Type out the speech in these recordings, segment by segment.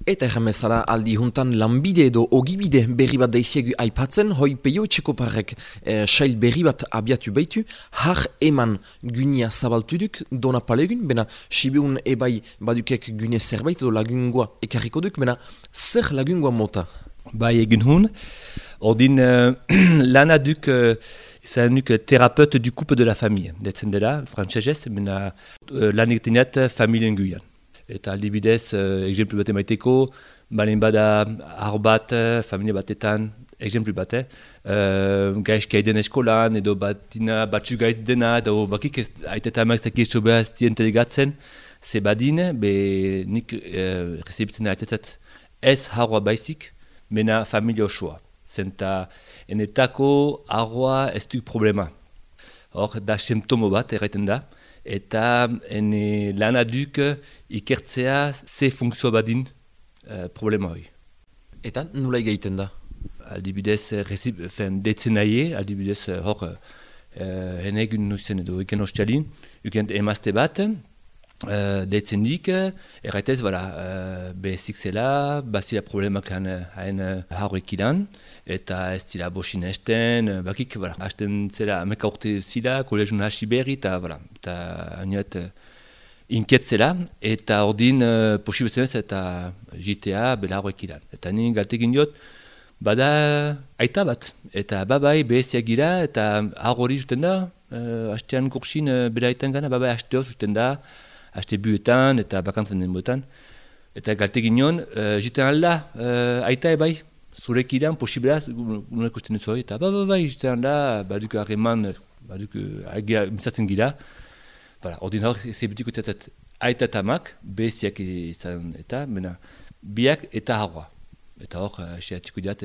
Eta erramezala aldi juntan lanbide edo ogibide berri bat daiziegu aipatzen, hoi peio etxekoparrek sail berri bat abiatu baitu, har eman gunia zabaltuduk dona palegun, bena sibeun ebai badukek gune zerbait edo lagungua ekarriko duk, bena zer lagungua mota? Bai egin hun, ordin lana duk izan nuk terapeut du couple de la famille, detzen dela, frantsesez, bena lan egitenet familien guian. Eta aldibidez, exemplu bat emaiteko, balen bada har bat, familia batetan, exemplu bate, gaizki haiden eskolan, edo batina batzu gaiz dena, edo bakik haiteta amak ez sobera ez dien telegatzen, ze badin, be nik rezibitzen haitetat ez harroa baizik, mena familia osoa. Zenta enetako harroa ez du problema. Hor, da symptomo bat erraiten da. Eta lana duk ikertzea ze funtzio badin problema hori. Eta nula egiten da? Aldibidez, detzen nahi, aldibidez hor egun nuzen edo eken ostialin, uken emazte bat, detzen dik, erraitez, bezik zela, bazila problemak hain harroek ilan, eta ez zila bosin esten, bakik, hasten zela ameka urte zila, kolegiun hasi berri, eta hainot inkiet zela, eta ordin posibezenez eta jitea bela harroek ilan. Eta nien galtekin diot, bada aita bat, eta babai beheziak gira, eta harrori zuten da, hastean kursin bela aitan gana, babai hasteoz zuten da, haste buetan eta bakantzen den buetan. Eta galtekin nion, jiten alda, aita ebai, zurek iran, posibelaz, unek usten dut eta bai, jiten alda, baduk harreman, baduk mizatzen gira. Ordin hor, zebetik utzat aita eta amak, beziak izan eta, biak eta harroa. Eta hor, sehatiko diat,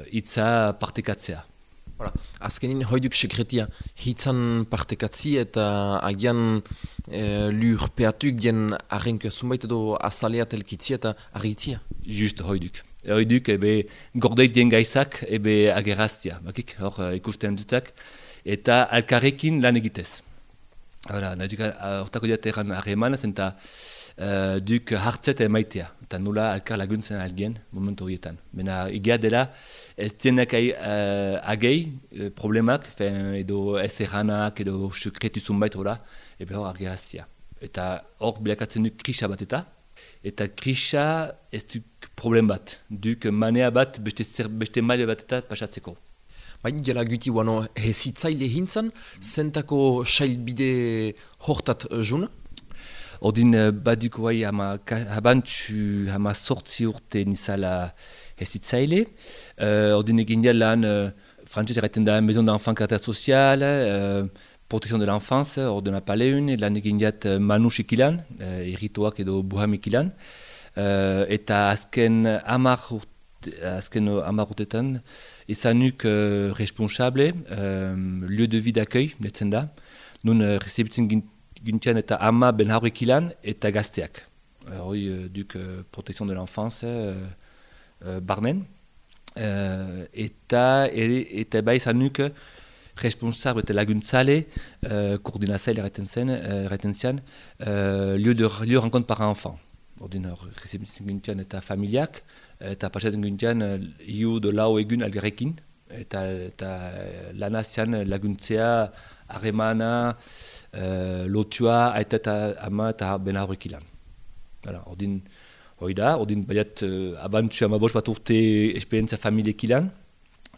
itza partekatzea. Azkenin hoiduk sekretia hitzan partekatzi eta agian lurpeatuk dien arrenka zunbait edo azalea telkitzi eta argitzia. Just hoiduk. Hoiduk gordeit dien gaizak ageraztia. Bakik, hor ikusten dutak. Eta alkarrekin lan egitez. Hortako diat erran harreman, zenta duk hartzet emaitea. Eta nula alkar laguntzen algien momentu horietan. Bena egia dela ez dienak agei problemak, edo ez erranak, edo sekretu zunbait hor argeraztia. Eta hor bilakatzen duk krisa bat eta krisa ez duk problem bat. Duk manea bat beste maile bat eta pasatzeko. Baina jela guti guano hezitzaile hintzan, zentako sailbide hortat juna? Ordin baduk guai habantxu hama sortzi urte nizala hezitzaile. Ordin egin lan frantzez erraiten da Maison d'Enfant Caractère Social, Protection de l'Enfance, ordena paleun, lan egin diat manusik ilan, irrituak edo buhamik ilan. Eta azken hamar urtetan, izanuk responsable, lieu de vie d'accueil, netzen da. Nun rezibitzen gintian eta ama ben harrek ilan eta gazteak. Hoi duk Protection de l'Enfance barnen. Eta bai izanuk responsable eta laguntzale, koordinatzaile erraten zian, lieu de rencontre par enfant. Ordin rezibitzen gintian eta familiak, eta pasatzen gintian iu do lau egun algarrekin, eta lana zian laguntzea, harremana, lotua, aita eta ama eta ben harrek ilan. Ordin baiat abantxu amabos bat urte esperientzia familiek ilan,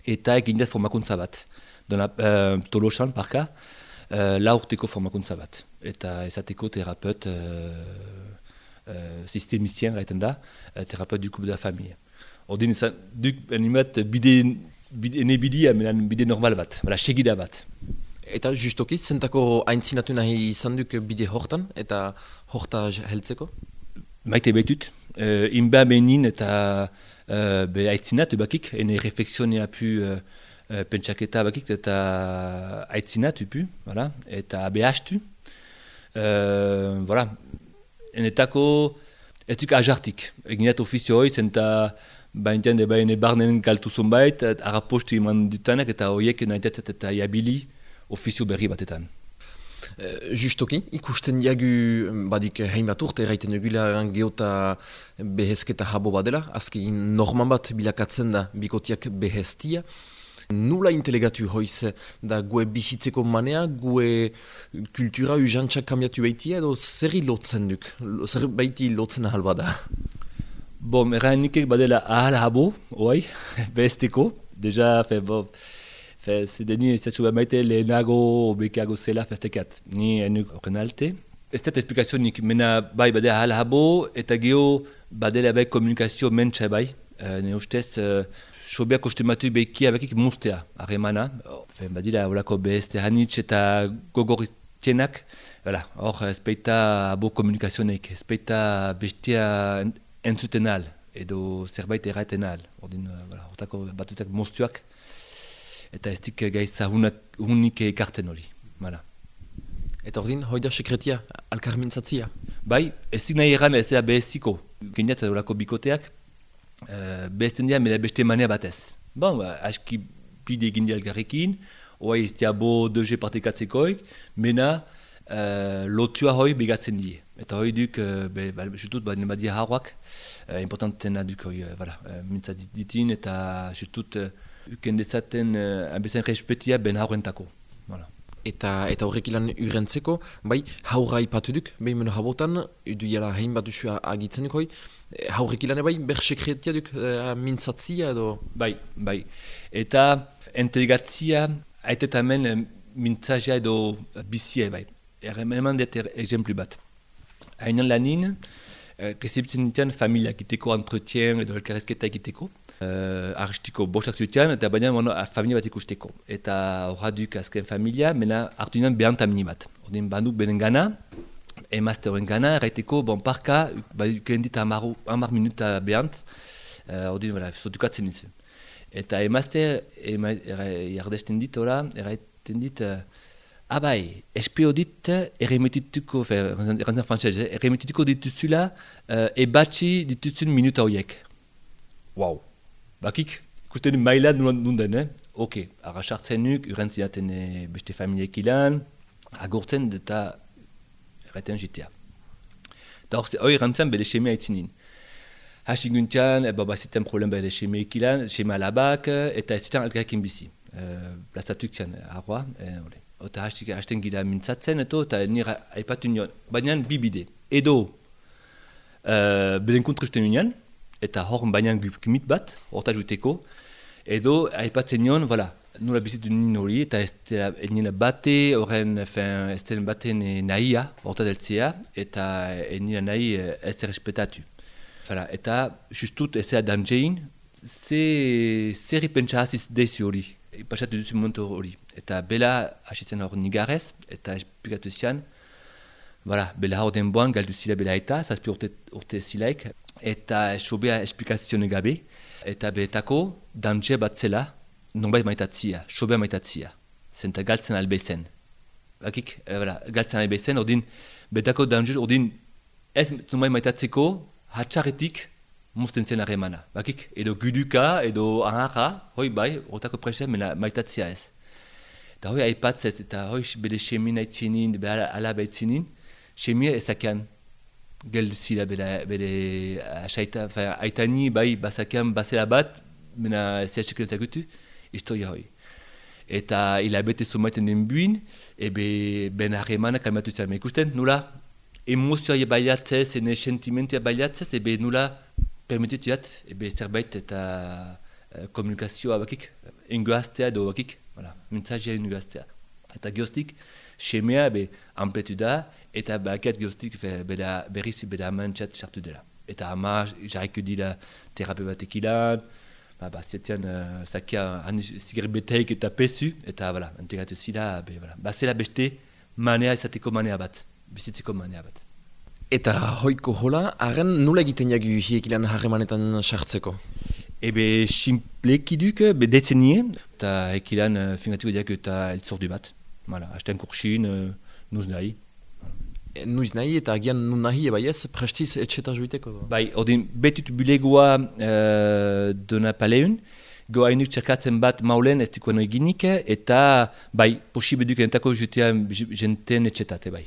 eta egin dut formakuntza bat. Tolosan, parka, la urteko formakuntza bat. Eta ezateko terapeut sistemizien gaiten da, terapeut du couple de la famille. Ordin duk animat bide normal bat, segida bat. Eta justoki, zentako aintzinatu nahi izan duk bide hortan, eta horta heltzeko? Maite behitut, inba benin eta aitzinatu bakik, ene reflexionea pu pentsaketa bakik eta aitzinatu pu, eta behastu. Enetako ez duk ajartik, eginat ofizio hoi, zenta baintean ene barnen galtu zonbait, harrapostu iman dutanak eta horiek nahiatzat eta jabili ofizio berri batetan. Justoki, ikusten diagu badik hainbat urte erraiten egula geota behezketa habo badela, azken norman bat bilakatzen da bikotiak beheztia. Nula intelegatu hoiz da gue bizitzeko manea, gue kultura ujantzak kambiatu behitia edo zerri lotzen duk, zer behiti lotzen ahal bada? Bon, erranikek badela ahal habo, oai, behezteko, deja, zedeni ez zatu maite lehenago bekeago zela festekat. Ni enuk horren alte. Ez dut esplikazionik, mena bai badela ahal habo, eta geho badela bai komunikazio mentsa bai. Ne ustez, sobeak ostematu bekia bekik mustea, harremana. Badila horako behezte hanitz eta gogoriztienak. Hor, ez baita abo komunikazionek, ez baita bestia entzuten al, edo zerbait erraten al. Hortako batutak moztuak. Eta ez dik gaitza hunik ekarten hori. Eta ordin, hoi da sekretia, alkarmintzatzia? Bai, ez dik nahi egan ez da beheziko. Geniat horako bikoteak, behezten dira, meda beste manea batez. Bon, aski bide egin di algarrekin, oai ez dia bo doge partekatzekoik, mena lotua hoi begatzen die. Eta hoi duk, jutut, nebadia harroak, importantena duk hoi, mintzat ditin, eta jutut, uken dezaten bezain respetia ben haurentako. Eta horrek ilan urentzeko, bai, haurra ipatu duk, behin meno habotan, edu jala hain bat duzu agitzen duk hoi, haurrek ilan bai, ber sekretia duk mintzatzia edo? Bai. Eta entelegatzia, haitetamen mintzazia edo bizia bai. Eman dut exemplu bat. Hainan lanin, rezeptzen ditan familia egiteko, entretien edo elkarrezketa egiteko. Aristiko bostak zutian, eta baina familia bat ikusteko. Eta horra duk azken familia, mena hartu dinan behantamini bat. Ordin banduk benen gana, emazte horren gana, erraiteko, bon parka, baduken dit 10 minuta behant, ordin, zotukatzen nintzen. Eta emazte, jardesten dit, erraiten dit, bai, espeo dit, erremetituko, errantzan frantzez, erremetituko dituzula, ebatxi dituzun minuta horiek. Wow! Bakik, ikusten mailan nunden, Oke, arrasartzen nuk, urrentziaten beste familiek ilan, agortzen eta erraten jitea. Eta hori errantzen bede xemea itzinin. Hasiguntian, baziten problem bede xemeek ilan, xemea alabak, eta ez duten algarrekin bizi. Plazatuk zian, arroa, eta hasten gira mintzatzen, eta nire aipatu nion, baina bibide. Edo, beden kontruzten nion, eta hor baina gumit bat, horta juteko, edo aipatzen nion, nola bizitu nien hori, eta ez nien bate, horren, ez den baten nahia, horta deltzea, eta nien nahi ez errespetatu. Eta justut ez da danjein, zer ipentsa hasiz dezi hori, pasatu duzu momentu hori. Eta bela hasitzen hor nigarez, eta esplikatu zian, bela hor denboan galdu zila bela eta, zazpi urte zilaik, eta sobea esplikazioen gabe, eta behetako dantxe bat zela, nonbait maitatzia, sobea maitatzia, zenta galtzen albezen. Bakik, galtzen albezen, ordin, behetako dantxe, ordin, ez nonbait maitatzeko, hatxarretik mozten zen harremana. Bakik, edo guduka, edo aharra, hoi bai, hortako presen, mena maitatzia ez. Eta hoi aipatzez, eta hoi bede xemien aitzinin, bede alaba aitzinin, xemien ezakean, geldu zila bere aitani bai bazakean bazela bat, mena zehazekeno zagutu, historia hoi. Eta hilabete zumaiten den buin, ben harremana kalmatu zela. Ikusten, nula emozioa baiatzez, ene sentimentia baiatzez, nula permitituat, zerbait eta komunikazioa bakik, engoaztea edo bakik, mentzazia engoaztea. Eta geostik, xemea ampletu da, eta bakiat geostik berriz beda amantzat sartu dela. Eta ama jarriko dira terape batek ilan, zietian zakia zigarbeteik eta pesu, eta integratu zila, zela beste manea izateko manea bat, bizitzeko manea bat. Eta hoiko hola, haren nula egiten jagu hiek ilan harremanetan sartzeko? Simplekiduk, detzenie, eta ekilan fingatiko diak eta eltzordu bat. Hasten kursin, nuz nahi. Nuiz nahi eta agian nun nahi eba ez, prestiz etxeta juiteko? Bai, ordin betut bulegoa dona paleun, goainuk txerkatzen bat maulen ez dikoen eginik, eta bai, posibeduk entako jutea jenten etxetate bai.